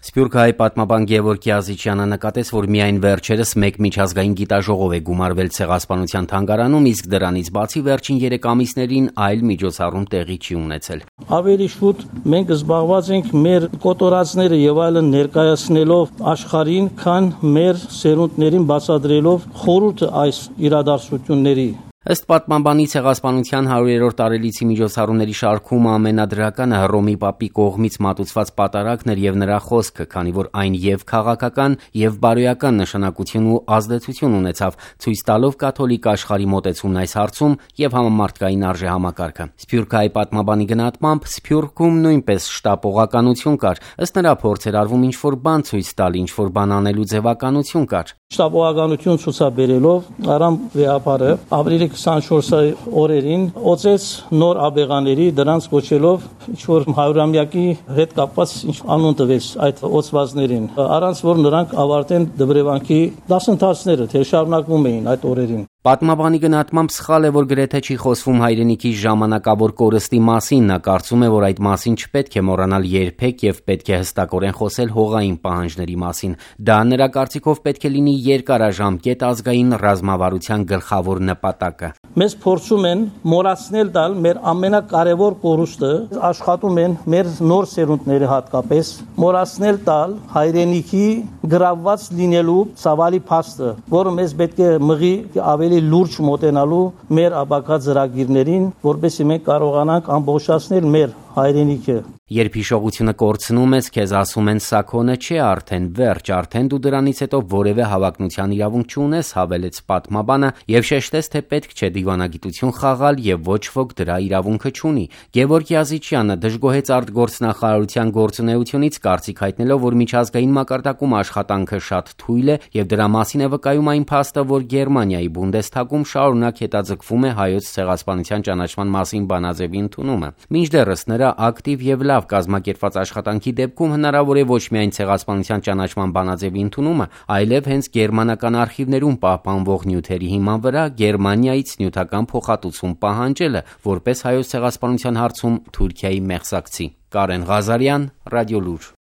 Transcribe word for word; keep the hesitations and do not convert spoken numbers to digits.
Սփյուռքահայ պատմաբան Գևորգ Կիազիչյանը նկատեց, որ միայն վերջերս մեկ միջազգային գիտաժողով է գումարվել Ցեղասպանության թանգարանում, իսկ դրանից բացի վերջին երեք ամիսներին այլ միջոցառում տեղի չի ունեցել։ Ավելի շուտ մենք զբաղված ենք մեր կոտորածները եւ այլն ներկայացնելով աշխարհին, քան մեր սերունդներին բացատրելով խորհուրդը այս իրադարձությունների։ Ըստ պատմաբանի Ցեղասպանության հարյուրերորդ տարելիցի միջոցառումների շարքում ամենադրականը Հռոմի Պապի կողմից մատուցված պատարագն էր եւ նրա խոսքը, քանի որ այն եւ քաղաքական եւ բարոյական նշանակություն ու ազդեցություն ունեցավ, ցույց տալով կաթոլիկ աշխարհի մոտեցումն այս հարցում եւ համամարտկային արժեհամակարգը։ Սփյուռքահայ պատմաբանի գնահատմամբ Սփյուռքում նույնպես շտապողականություն կար, ըստ նրա փորձ էր արվում ինչ-որ բան ցույց տալ, ինչ-որ բան անելու ձևականություն կար։ Շտապողականություն ցուցաբերելով Արամ վեհապարը ապրիլի քսանչորսի օրերին օծեց նոր աբեղաների, դրանց կոչելով ինչ-որ հարյուրամյակի հետ կապված ինչ անուն տվեց այդ օծվածներին, առանց որ նրանք ավարտեն դբրևանքի դասընթացները, թե շարունակվում էին այդ օրերին։ Պատմաբանի գնահատմամբ սխալ է, որ գրեթե չի խոսվում հայրենիքի ժամանակավոր կորստի մասին, նա կարծում է, որ այդ մասին չպետք է մոռանալ երբեք եւ պետք է հստակորեն խոսել հողային պահանջների մասին։ Դա նրա կարծիքով պետք է լինի երկարաժամկետ ազգային ռազմավարության գլխավոր նպատակը։ Մեզ փորձում են մոռացնել տալ մեր ամենակարևոր կորուստը, աշխատում են մեր նոր սերունդները հատկապես մոռացնել տալ հայրենիքի գրավված լինելու ցավալի փաստը, որը մեզ պետք է մղի ավելի լուրջ մոտենալու մեր ապագա ծրագիրներին, որպեսզի մենք կարողանանք ամբողջացնել մեր հայրենիքը։ Երբ հիշողությունը կորցնում ես, քեզ ասում են սա քոնը չէ արդեն, վերջ, արդեն դու դրանից հետո որևէ հավակնության իրավունք չունես, հավելեց պատմաբանը եւ շեշտեց, թե պետք չէ դիվանագիտություն խաղալ եւ ոչ ոք դրա իրավունքը չունի։ Գևորգ Կիազիչյանը դժգոհեց արտգործնախարարության գործունեությունից, կարծիք հայտնելով, որ միջազգային մակարդակում աշխատանքը շատ թույլ է եւ դրա մասին է վկայում այն փաստը, որ Գերմանիայի Բունդեսթագում շարունակ հետաձգվում է հայոց ցեղասպանության ճանաչման մասին բանաձևի ընդունումը։ Մինչդեռս նրա ակտիվ եւ լավ կազմակերպված աշխատանքի դեպքում հնարավոր է ոչ միայն ցեղասպանության ճանաչման բանաձևի ընդունումը, այլև հենց գերմանական արխիվներում պահպանվող նյութերի հիման վրա Գերմանիայից նյութական փոխհատուցում պահանջելը, որպես հայոց ցեղասպանության հարցում Թուրքիայի մեղսակցի։ Կարեն Ղազարյան, Ռադիոլուր։